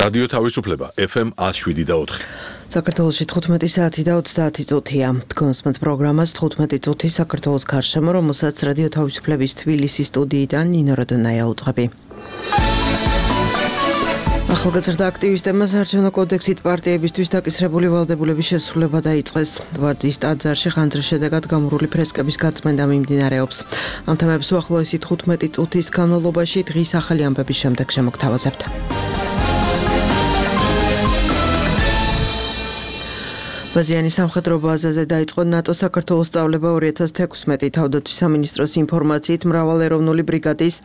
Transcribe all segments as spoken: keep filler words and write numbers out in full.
რადიო თავისუფლება ეფ ემ one oh seven და four. საქართველოში თხუთმეტი საათი და ოცდაათი წუთია. თქვენს პროგრამას თხუთმეტი წუთი საქართველოს გარშემო, რომელსაც რადიო თავისუფლების თბილისის სტუდიიდან ნინო როდონაია უძღვები. ახალგაზრდა აქტივისტებმა საარჩევნო კოდექსით პარტიებისთვის დაკისრებული ვალდებულების შესრულება დაიწყეს. ვარდის ტაძარში ხანძრის შედეგად გამორული ფრესკების გაწმენდა მიმდინარეობს. ამ თემებს უახლოესი თხუთმეტი წუთის განმავლობაში დღის ახალი ამბების შემდეგ შემოგთავაზებთ. ბაზიანის სამხედრო ბაზაზე დაიწყო ნატო საქართველოს სწავლება ორი ათას თექვსმეტი. თავდაცვის სამინისტროს ინფორმაციით მრავალეროვნული ბრიგადის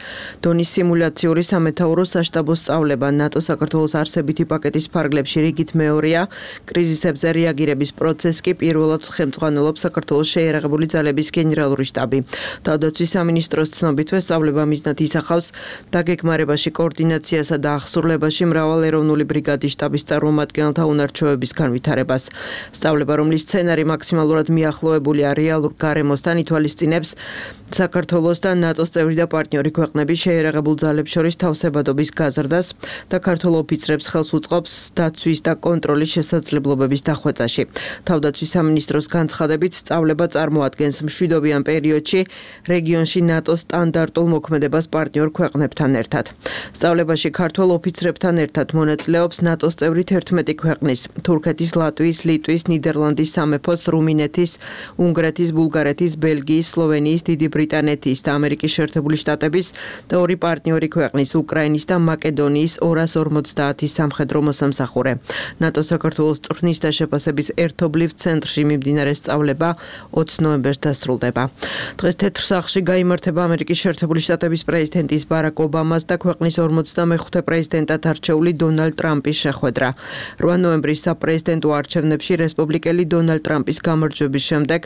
დონის სიმულაციური სამეთაურო საშტაბო სწავლება ნატო საქართველოს არსებითი პაკეტის ფარგლებში რიგით მეორეა. კრიზისებზე რეაგირების პროცესს კი პირველად ხელმძღვანელობს საქართველოს შეიარაღებული ძალების გენერალური შტაბი. თავდაცვის სამინისტროს ცნობითვე სწავლება მიზნად ისახავს დაგეგმარებაში, კოორდინაციასა და აღსრულებაში მრავალეროვნული ბრიგადის შტაბის წარმომადგენელთა უნარჩვევების განვითარებას. სწავლება, რომლის სცენარი მაქსიმალურად მიახლოებულია რეალურ გარემოსთან, ითვალისწინებს საქართველოს და ნატოს წევრი და პარტნიორი ქვეყნების შეიარაღებულ ძალებს შორის თავსებადობის გაზრდას და ქართველ ოფიცრებს ხელს უწყობს დაცვის და კონტროლის შესაძლებლობების დახვეწაში. თავდაცვის სამინისტროს განცხადებით, სწავლება წარმოადგენს მშვიდობიან პერიოდში რეგიონში ნატოს სტანდარტულ მოქმედებას პარტნიორ ქვეყნებთან ერთად. სწავლებაში ქართველ ოფიცრებთან ერთად მონაწილეობს ნატოს წევრი თერთმეტი ქვეყნის, თურქეთის, ლატვიის, ლიტვის, ნიდერლანდის სამეფოს, რუმინეთის, უნგრეთის, ბულგარეთის, ბელგიის, სლოვენიის, დიდი ბრიტანეთის და ამერიკის შეერთებული შტატების და ორი პარტნიორი ქვეყნის, უკრაინის და მაკედონიის ორას ორმოცდაათი სამხედრო მოსამსახურე. ნატო საქართველოს წვრთნის და შეფასების ერთობლივ ცენტრში მიმდინარე სწავლება ოცი ნოემბერს დასრულდება. დღეს თეთრ სახლში გაიმართება ამერიკის შეერთებული შტატების პრეზიდენტის ბარაკ ობამას და ქვეყნის ორმოცდამეხუთე პრეზიდენტად არჩეული დონალდ ტრამპის შეხვედრა. რვა ნოემბრის საპრეზიდენტო არჩევნებში რესპუბლიკელი დონალდ ტრამპის გამარჯვების შემდეგ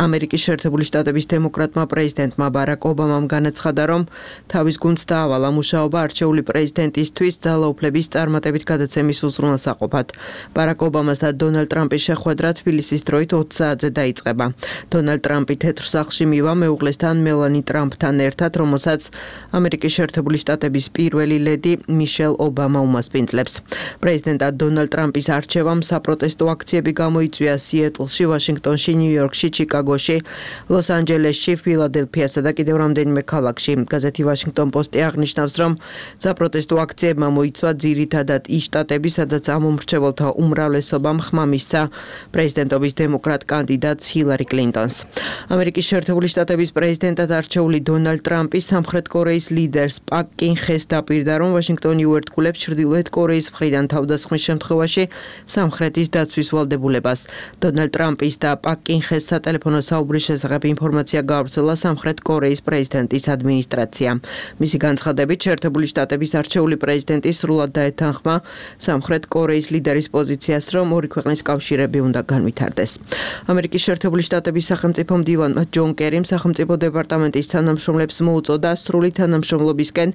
ამერიკის შეერთებული შტატების დემოკრატმა პრეზიდენტმა ბარაკ ობამამ განაცხადა, რომ თავის გუნდს დაავალა მუშაობა არჩეული პრეზიდენტისთვის ძალაუფლების წარმატებით გადაცემის უზრუნველსაყოფად. ბარაკ ობამას და დონალდ ტრამპის შეხვედრა თბილისის დროით ოც საათზე დაიწყება. დონალდ ტრამპი თეთრ სახლში მივა მეუღლესთან მელანი ტრამპთან ერთად, რომელსაც ამერიკის შეერთებული შტატების პირველი ლედი მიშელ ობამა უმასპინძლებს. პრეზიდენტად დონალდ ტრამპის არჩევამ საპროტესტო აქციები გამოიწვია სიეტლში, ვაშინგტონში, ნიუ-იორკში, ჩიკაგოში, ლოს-ანჯელესში, ფილადელფიასა და კიდევ რამდენიმე ქალაქში. გაზეთი ვაშინგტონ პოსტი აღნიშნავს, რომ საპროტესტო აქციებმა მოიცვა ძირითადად ის შტატები, სადაც ამომრჩეველთა უმრავლესობამ ხმა მისცა პრეზიდენტობის დემოკრატ კანდიდატს ჰილარი კლინტონს. ამერიკის შეერთებული შტატების პრეზიდენტად არჩეული დონალდ ტრამპი სამხრეთ კორეის ლიდერს პაკ კინ ხეს დაპირდა, რომ ვაშინგტონი უერთგულებს ჩრდილოეთ კორეის მხრიდან თავდასხმის შემთხვევაში სამხრეთის დაცვის ვალდებულებას. დონალდ ტრამპის და პაკ კინ ხეს სატელეფონო საუბრის შესახებ ინფორმაცია გაავრცელა სამხრეთ კორეის პრეზიდენტის ადმინისტრაციამ. მისი განცხადებით, შეერთებული შტატების არჩეული პრეზიდენტი სრულად დაეთანხმა სამხრეთ კორეის ლიდერის პოზიციას, რომ ორი ქვეყნის კავშირები უნდა განვითარდეს. ამერიკის შეერთებული შტატების სახელმწიფო მდივანმა ჯონ კერიმ სახელმწიფო დეპარტამენტის თანამშრომლებს მოუწოდა სრული თანამშრომლობისკენ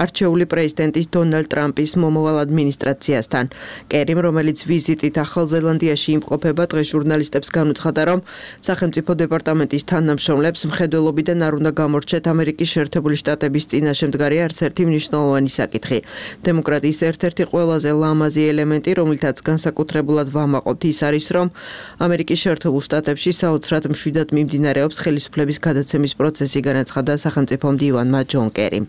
არჩეული პრეზიდენტის დონალდ ტრამპის მომავალ ადმინისტრაციასთან. კერიმ, რომელიც ვიზიტით ახალ ზელანდიაში იმყოფება, დღეს ჟურნალისტებს განუცხადა, რომ სახელმწიფო დეპარტამენტის თანამშრომლებს მხედველობიდან არ უნდა გამორჩეთ ამერიკის შეერთებული შტატების წინაშე მდგარი არც ერთი მნიშვნელოვანი საკითხი. დემოკრატიის ერთ-ერთი ყველაზე ლამაზი ელემენტი, რომლითაც განსაკუთრებულად ვამაყობთ, ის არის, რომ ამერიკის შეერთებულ შტატებში საოცრად მშვიდად მიმდინარეობს ხელისუფლების გადაცემის პროცესი, განაცხადა სახელმწიფო მდივანმა ჯონ კერიმ.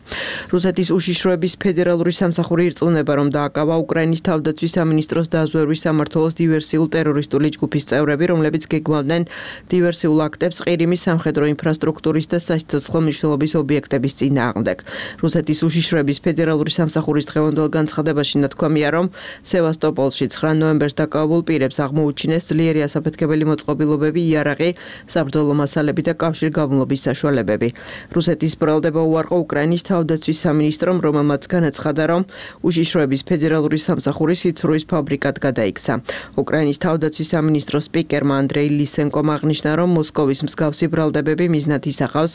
რუსეთის უშიშროების ფედერალური სამსახური ირწმუნება, რომ დააკავა უკრაინის თავდაცვის სამინისტროს დაზვერვის სამმართველოს დივერსიულ ტერორისტული ჯგუფის წევრები, რომლებიც გეგმავდნენ დივერსიულ აქტებს ყირიმის სამხედრო ინფრასტრუქტურის და სასიცოცხლო მნიშვნელობის ობიექტების წინააღმდეგ. რუსეთის უშიშროების ფედერალური სამსახურის დღევანდელ განცხადებაში ნათქვამია, რომ სევასტოპოლში ცხრა ნოემბერს დაკავებულ პირებს აღმოუჩინეს ძლიერი ასაფეთქებელი მოწყობილობები, იარაღი, საბრძოლო მასალები და კავშირგაბმულობის საშუალებები. რუსეთის ბრალდება უარყო უკრაინის თავდაცვის სამინისტრომ, რომელმაც განაცხადა, რომ უშიშროების ფედერალური სამსახური სიცრუის ფაბრიკად გადაიქცა. უკრაინის თავდაცვის სამინისტროს სპიკერმა ანდრეი ლისენკომ აღნიშნა, რომ მოსკოვის მსგავსი ბრალდებები მიზნად ისახავს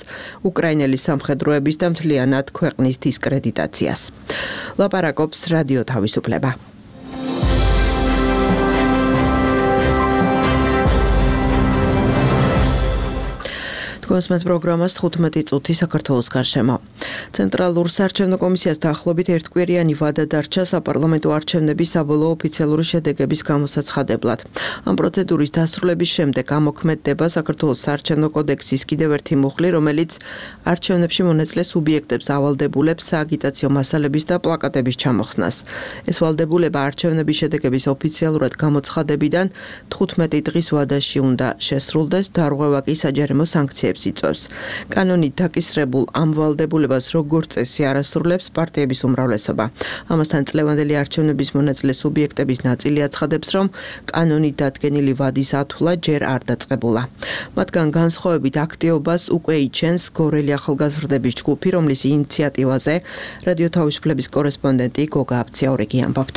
უკრაინელი სამხედროების და მთლიანად ქვეყნის დისკრედიტაციას. ლაპარაკობს რადიო თავისუფლება. Თქვენს პროგრამას თხუთმეტი წუთი საქართველოს გარშემო. ცენტრალურ საარჩევნო კომისიას დაახლოებით ერთკვირიანი ვადა დარჩა საპარლამენტო არჩევნების საბოლოო ოფიციალური შედეგების გამოსაცხადებლად. Ამ პროცედურის დასრულების შემდეგ ამოქმედდება საქართველოს საარჩევნო კოდექსის კიდევ ერთი მუხლი, რომელიც არჩევნებში მონაწილე სუბიექტებს ავალდებულებს სააგიტაციო მასალების და პლაკატების ჩამოხსნას. ეს ვალდებულება არჩევნების შედეგების ოფიციალურად გამოცხადებიდან თხუთმეტი დღის ვადაში უნდა შესრულდეს, დარღვევა კი საჯარიმო სანქციებს იწვევს. კანონით დაკისრებულ ამ ვალდებულებას როგორც წესი არასრულებს პარტიების უმრავლესობა. ამასთან წლევანდელი არჩევნების მონაწილე სუბიექტების ნაწილი აცხადებს, რომ კანონით დადგენილი ვადის ათვლა ჯერ არ დაწყებულა. მათგან განსხვავებით აქტიობას უკვე იჩენს გორელი ახალგაზრდების ჯგუფი, რომლის ინიციატივაზე რადიო თავისუფლების კორესპონდენტი გოგა აბციაურიგი ამბობთ.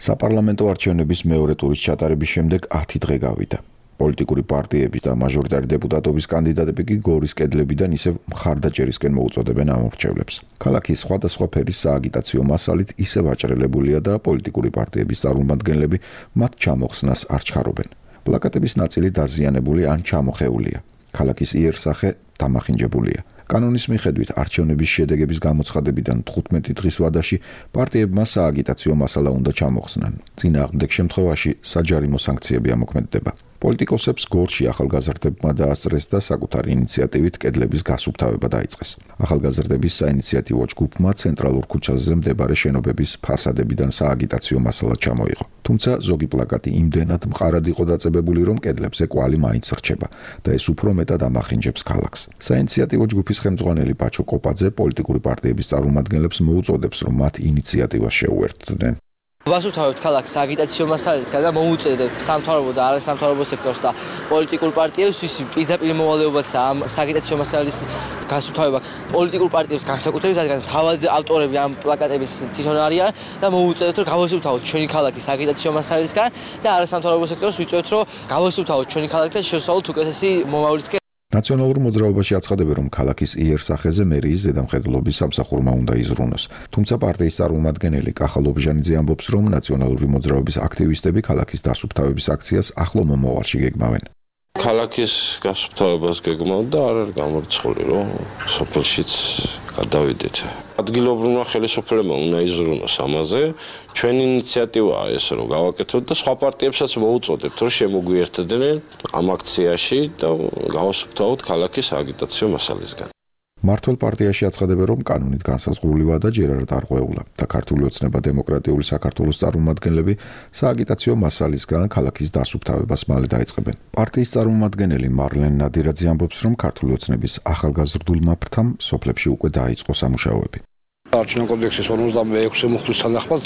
საპარლამენტო არჩევნების მეორე ტურის ჩატარების შემდეგ ათი დღე გავიდა. პოლიტიკური პარტიების და მაჟორიტარი დეპუტატობის კანდიდატები კი გორის კედლებიდან ისევ მხარდაჭერისკენ მოუწოდებენ ამორჩევლებს. ქალაქის სხვადასხვა ფერის სააგიტაციო მასალით ისევ აჭრელებულია და პოლიტიკური პარტიების წარმომადგენლები მათ ჩამოხსნას არ ჩქარობენ. პლაკატების ნაწილი დაზიანებული ან ჩამოხეულია. ქალაქის იერსახე დამახინჯებულია. კანონის მიხედვით არჩევნების შედეგების გამოცხადებიდან თხუთმეტი დღის ვადაში პარტიებმა სააგიტაციო მასალა უნდა ჩამოხსნან. წინააღმდეგ შემთხვევაში საჯარიმო სანქციები ამოქმედდება. პოლიტიკოსებს გორში ახალგაზრდებმა დაასწრეს და საკუთარი ინიციატივით კედლების გასუფთავება დაიწყეს. ახალგაზრდების საინიციატივო ჯგუფმა ცენტრალურ ქუჩაზე მდებარე შენობების ფასადებიდან სააგიტაციო მასალა ჩამოიღო. თუმცა ზოგი პლაკატი იმდენად მყარად იყო დაწებებული, რომ კედლებზე კვალი მაინც რჩება და ეს უფრო მეტად ამახინჯებს ქალაქს. საინიციატივო ჯგუფის ხელმძღვანელი ბაჩო კოპაძე პოლიტიკური პარტიების წარმომადგენლებს მოუწოდებს, რომ მათ ინიციატივას შეუერთდნენ. ვასუფთავებთ ქალაქს აგიტაციო მასალისგან და მოუწედებთ სამთავრობო და არასამთავრობო სექტორს და პოლიტიკურ პარტიებს, ვისი პირდაპირ მოვალეობაცაა ამ აგიტაციო მასალის გასუფთავება. პოლიტიკურ პარტიებს განსაკუთრებით, რადგან თავად ავტორები ამ პლაკატების თვითონ არიან და მოუწედებთ, რომ გავასუფთავოთ ჩვენი ქალაქის აგიტაციო მასალისგან და არასამთავრობო სექტორს ვიწვევთ, რომ გავასუფთავოთ ჩვენი ქალაქი და შევსვავლოთ უკეთესი მომავლისკენ. ნაციონალურ მოძრაობაში აცხადებენ, რომ ქალაქის იერსახეზე მერიის ზედამხედველობის სამსახურმა უნდა იზრუნოს. თუმცა პარტიის წარმომადგენელი კახა ლობჟანიძე ამბობს, რომ ნაციონალური მოძრაობის აქტივისტები ქალაქის დასუფთავების აქციას ახლო მომავალში გეგმავენ. ქალაქის გასუფთავებას გეგმავთ და არ არის გამორიცხული, რომ სოფელშიც გადავიდეთ. ადგილობრივმა ხელისუფლებამ უნდა იზრუნოს ამაზე. ჩვენი ინიციატივაა ეს, რომ გავაკეთოთ და სხვა პარტიებსაც მოუწოდებთ, რომ შემოგვიერთდნენ ამ აქციაში და გავასუფთავოთ ქალაქის აგიტაციო მასალისგან. მართლ პარტიაში აცხადებენ, რომ კანონით განსაზღვრული ვადა ჯერ არ დარღვეულა და ქართული ოცნება დემოკრატიული საქართველოს წარმომადგენლები სააგიტაციო მასალისგან ქალაქის დასუფთავებას მალე დაიწყებენ. პარტიის წარმომადგენელი მარლენ ნადირაძე ამბობს, რომ ქართული ოცნების ახალგაზრდულმა ფრთამ სოფლებში უკვე დაიწყო სამუშაოები. არჩევნო კოდექსის ორმოცდამეექვსე მუხლის თანახმად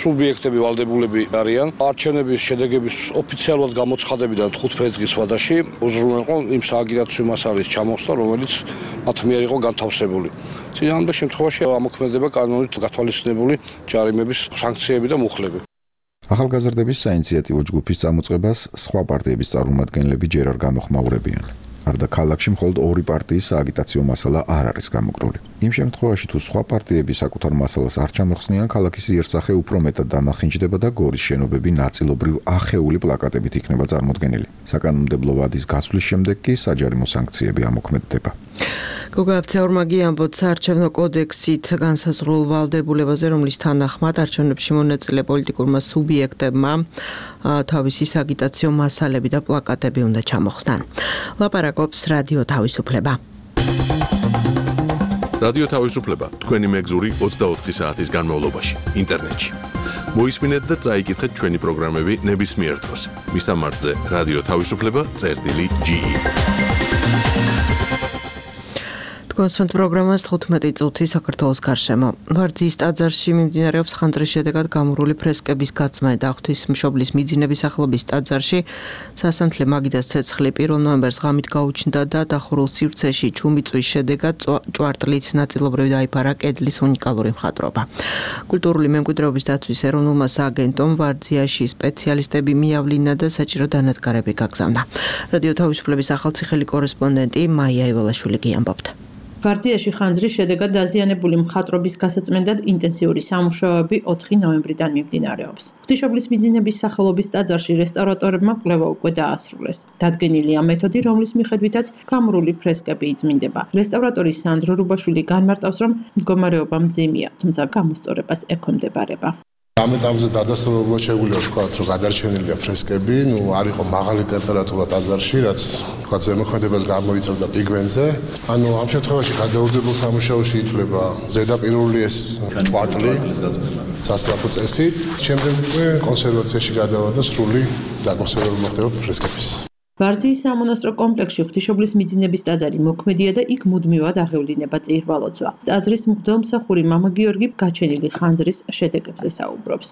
სუბიექტები ვალდებულები არიან არჩევნების შედეგების ოფიციალურად გამოცხადებიდან თხუთმეტი დღის ვადაში უზრუნველყო იმ სააგიტაციო მასალის ჩამოხსნა, რომელიც მათ მიერ იყო განთავსებული. წინააღმდეგ შემთხვევაში ამოქმედება კანონით გათვალისწინებული ჯარიმების სანქციები და მუხლები. ახალგაზრდების საინიციატივო ჯგუფის წამოწყებას სხვა პარტიების წარმომადგენლები ჯერ არ გამოხმაურებიან. არდა ქალაქში მხოლოდ ორი პარტიის სააგიტაციო მასალა არ არის გამოგრული. იმ შემთხვევაში თუ სხვა პარტიები საკუთარ მასალას არ ჩამოხსნიან, ქალაქის იერსახე უფრო მეტად დამახინჯდება და გორის შენობები ნაწილობრივ ახეული პლაკატებით იქნება წარმოდგენილი. საკანონმდებლო ვადის გასვლის შემდეგ კი საჯარიმო სანქციები ამოქმედდება. გოგა აბციაურიგი ამბობს, საარჩევნო კოდექსით განსაზღვრულ ვალდებულებაზე, რომლის თანახმად არჩევნებში მონაწილე პოლიტიკურმა სუბიექტებმა თავისი სააგიტაციო მასალები და პლაკატები უნდა ჩამოხსნან. ლაპარაკობს რადიო თავისუფლება. რადიო თავისუფლება თქვენი მეგზური ოცდაოთხი საათის განმავლობაში ინტერნეტში. მოისმინეთ და წაიკითხეთ ჩვენი პროგრამები ნებისმიერ დროს. მისამართზე რადიო თავისუფლება წერტილი ჯი ი. თქვენს პროგრამას თხუთმეტი წუთი საქართველოს გარშემო. ვარძიის ტაძარში მიმდინარეობს ხანძრის შედეგად გამორული ფრესკების გაცმა და ღვთისმშობლის მიძინების ახლობის ტაძარში სასანთლე მაგიდას ცეცხლი პირველ ნოემბერს ღამით გაუჩნდა და დახურულ სივრცეში ჩუმიწვის შედეგად ჭვარტლით ნაწილობრივ დაიფარა კედლის უნიკალური მხატვრობა. კულტურული მემკვიდრეობის დაცვის ეროვნულმა სააგენტომ ვარძიაში სპეციალისტები მიავლინა და საჭირო დანადგარები გაგზავნა. რადიო თავისუფლების ახალციხელი კორესპონდენტი მაია ივალაშვილი ამბობდა. ვარძიაში ხანძრის შედეგად დაზიანებული მხატვრობის გასაწმენდად ინტენსიური სამუშაოები ოთხი ნოემბრიდან მიმდინარეობს. ღვთისმშობლის მიძინების სახელობის ტაძარში რესტავრატორებმა კვლევა უკვე დაასრულეს. დადგენილია მეთოდი, რომლის მიხედვითაც გამრული ფრესკები იწმინდება. რესტავრატორი სანდრო რუბაშვილი განმარტავს, რომ მდგომარეობა მძიმეა, თუმცა გამოსწორებას ექვემდებარება. ამ ეტაპზე დადასტურებლად შეგვიძლია ვთქვათ, რომ გადარჩენილია ფრესკები, ნუ არ იყო მაღალი ტემპერატურა ტაძარში, რაც ვთქვათ ზემოქმედებას გამოიწვევდა პიგმენტზე. ანუ ამ შემთხვევაში გადაუდებელ სამუშაოში ითვლება ზედაპირული ეს ჭვატლი სასწრაფო წესით. შემდეგ უკვე კონსერვაციაში გადავა და სრული დაკონსერვება მოხდება ფრესკების. ვარძიის სამონასტრო კომპლექსში ღვთისმშობლის მიძინების ტაძარი მოქმედია და იქ მუდმივად აღევლინება წირვალოცვა. ტაძრის მღვდელმსახური მამა გიორგი გაჩენილი ხანძრის შედეგებზე საუბრობს.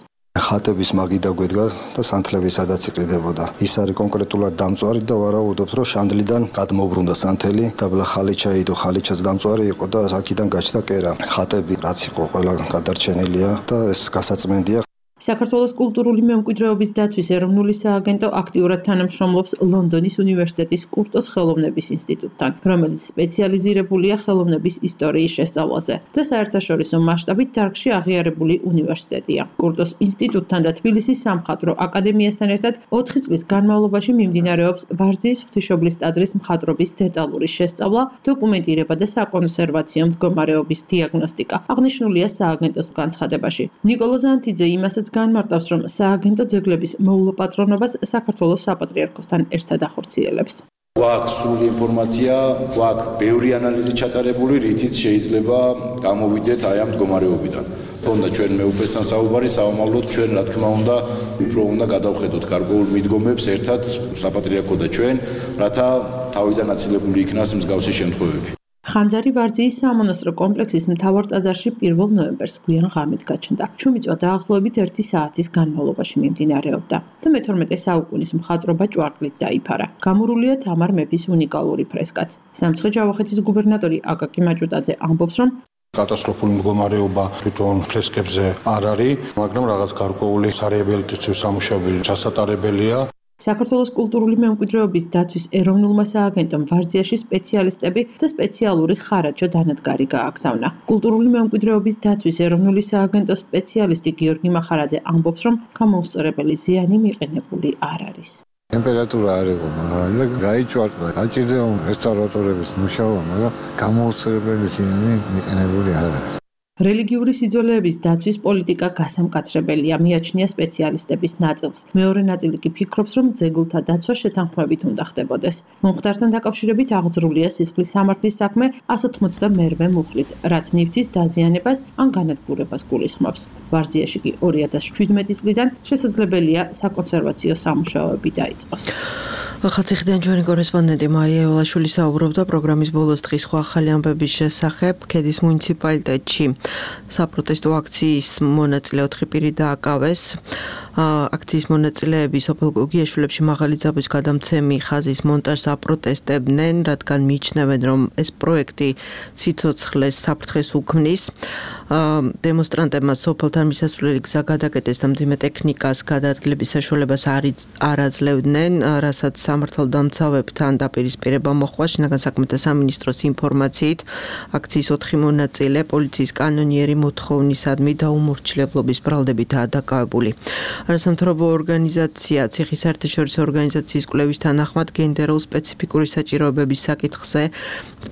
ხატების მაგი დაგვედგა და სანთლები სადაც იყიდებოდა. ის არის კონკრეტულად დამწვარი და ვარაუდობთ, რომ შანდლიდან გადმოbrunდა სანთელი, დაბლა ხალიჩა იდო, ხალიჩაც დამწვარი იყო და აქედან გაჩნდა კერა. ხატები რაც იყო ყველა გადარჩენილია და ეს გასაწმენდია. საქართველოს კულტურული მემკვიდრეობის დაცვის ეროვნული სააგენტო აქტიურად თანამშრომლობს ლონდონის უნივერსიტეტის კურტოს ხელოვნების ინსტიტუტთან, რომელიც სპეციალიზირებულია ხელოვნების ისტორიის შესწავლაზე და საერთაშორისო მასშტაბით დარგში აღიარებული უნივერსიტეტია. კურტოს ინსტიტუტთან და თბილისის სამხატვრო აკადემიასთან ერთად ოთხი წლის განმავლობაში მიმდინარეობს ვარძიის ღვთისმშობლის ტაძრის მხატვრობის დეტალური შესწავლა, დოკუმენტირება და საკონსერვაციო მდგომარეობის დიაგნოსტიკა. აღნიშნულია სააგენტოს განცხადებაში. ნიკოლოზ ზანთიძე იმასაც განმარტავს, რომ სააგენტო ძეგლების მოულოპატრონობას საქართველოს საპატრიარქოსთან ერთად ახორციელებს. გვაქვს სრული ინფორმაცია, გვაქვს ბევრი ანალიზი ჩატარებული, რითიც შეიძლება გამოვიდეთ აი ამ მდგომარეობიდან. თუნდა ჩვენ მეუფესთან საუბარი, საომავლოდ ჩვენ რა თქმა უნდა უფრო უნდა გადავხედოთ გარკვეულ მიდგომებს ერთად საპატრიარქო და ჩვენ, რათა თავიდან აცილებული იქნას მსგავსი შემთხვევები. ხანძარი ვარძიის სამონასტრო კომპლექსის მთავარ ტაძარში პირველ ნოემბერს გვიან ღამით გაჩნდა. ჩუმიწვა დაახლოებით ერთი საათის განმავლობაში მიმდინარეობდა და მეთორმეტე საუკუნის მხატვრობა ჭვარტლით დაიფარა. გამორულია თამარ მეფის უნიკალური ფრესკაც. სამცხე-ჯავახეთის გუბერნატორი აკაკი მაჭუტაძე ამბობს, რომ კატასტროფული მდგომარეობა თვითონ ფრესკებზე არ არის, მაგრამ რაღაც გარკვეული სარეაბილიტაციო სამუშაოები ჩასატარებელია. საქართველოს კულტურული მემკვიდრეობის დაცვის ეროვნულმა სააგენტომ ვარძიაში სპეციალისტები და სპეციალური ხარაჯო დანადგარი გააგზავნა. კულტურული მემკვიდრეობის დაცვის ეროვნული სააგენტოს სპეციალისტი გიორგი მახარაძე ამბობს, რომ გამოუსწორებელი ზიანი მიყენებული არ არის. ტემპერატურა არ იყო მაღალი და გაიჭვარტა. გაჭირდება რესტავრატორების მუშაობა, მაგრამ გამოუსწორებელი ზიანი მიყენებული არ არის. რელიგიური სიძველეების დაცვის პოლიტიკა გასამკაცრებელია, მიაჩნია სპეციალისტების ნაწილს. მეორე ნაწილი კი ფიქრობს, რომ ძეგლთა დაცვა შეთანხმებით უნდა ხდებოდეს. მომხდართან დაკავშირებით აღძრულია სისხლის სამართლის საქმე εκατს ოცდაათმერვე მუხლით, რაც ნივთის დაზიანებას ან განადგურებას გულისხმობს. ვარძიაში კი ორი ათას შვიდმეტი წლიდან შესაძლებელია საკონსერვაციო სამუშაოები დაიწყოს. ხალხიდან ჩვენი კორესპონდენტი მაია ელაშვილი საუბრობდა პროგრამის ბოლოს დღის სხვა ახალი ამბების შესახებ. ქედის მუნიციპალიტეტში საპროტესტო აქციის მონაწილე ოთხი პირი დააკავეს. აქციის მონაწილეები სოფელ გოგიაშვილებში მაღალი ძაბვის გადამცემი ხაზის მონტაჟს აპროტესტებდნენ, რადგან მიიჩნევენ, რომ ეს პროექტი სიცოცხლეს საფრთხეს უქმნის. დემონსტრანტებმა სოფელთან მისასვლელი გზა გადაკეტეს და მძიმე ტექნიკას გადაადგილების საშუალებას არ აძლევდნენ, რასაც სამართალდამცავებთან დაპირისპირება მოხდა. შინაგან საქმეთა სამინისტროს ინფორმაციით აქციის ოთხი მონაწილე პოლიციის კანონიერი მოთხოვნისადმი დაუმორჩილებლობის ბრალდებითაა დაკავებული. არასამთავრობო ორგანიზაცია ციხის საერთაშორისო ორგანიზაციის კვლევის თანახმად გენდერულ სპეციფიკური საჭიროებების საკითხზე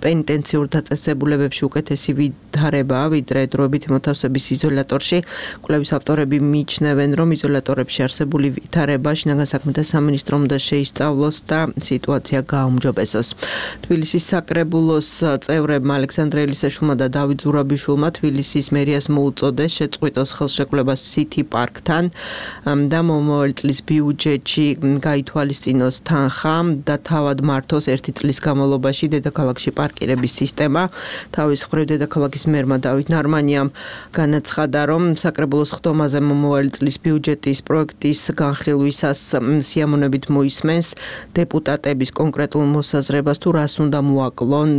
პენიტენციურ დაწესებულებებში უკეთესი ვითარებაა, ვიდრე დროებითი მოთავსების იზოლატორში. კვლევის ავტორები მიიჩნევენ, რომ იზოლატორებში არსებული ვითარება შინაგან საქმეთა სამინისტრომ უნდა შეისწავლოს და სიტუაცია გააუმჯობესოს. თბილისის საკრებულოს წევრებმა ალექსანდრე ელისაშვილმა და დავით ზურაბიშვილმა თბილისის მერიას მოუწოდეს შეწყვიტოს ხელშეკრულება City Park-თან და მომავალ წლის ბიუჯეტში გაითვალისწინოს თანხა და თავად მართოს ერთი წლის განმავლობაში დედაქალაქში პარკირების სისტემა. თავის მხრივ დედაქალაქის მერმა დავით ნარმანიამ განაცხადა, რომ საკრებულოს ხდომაზე მომავალ წლის ბიუჯეტის პროექტის განხილვისას სიამოვნებით მოისმენს დეპუტატების კონკრეტულ მოსაზრებას თუ რას უნდა მოაკლონ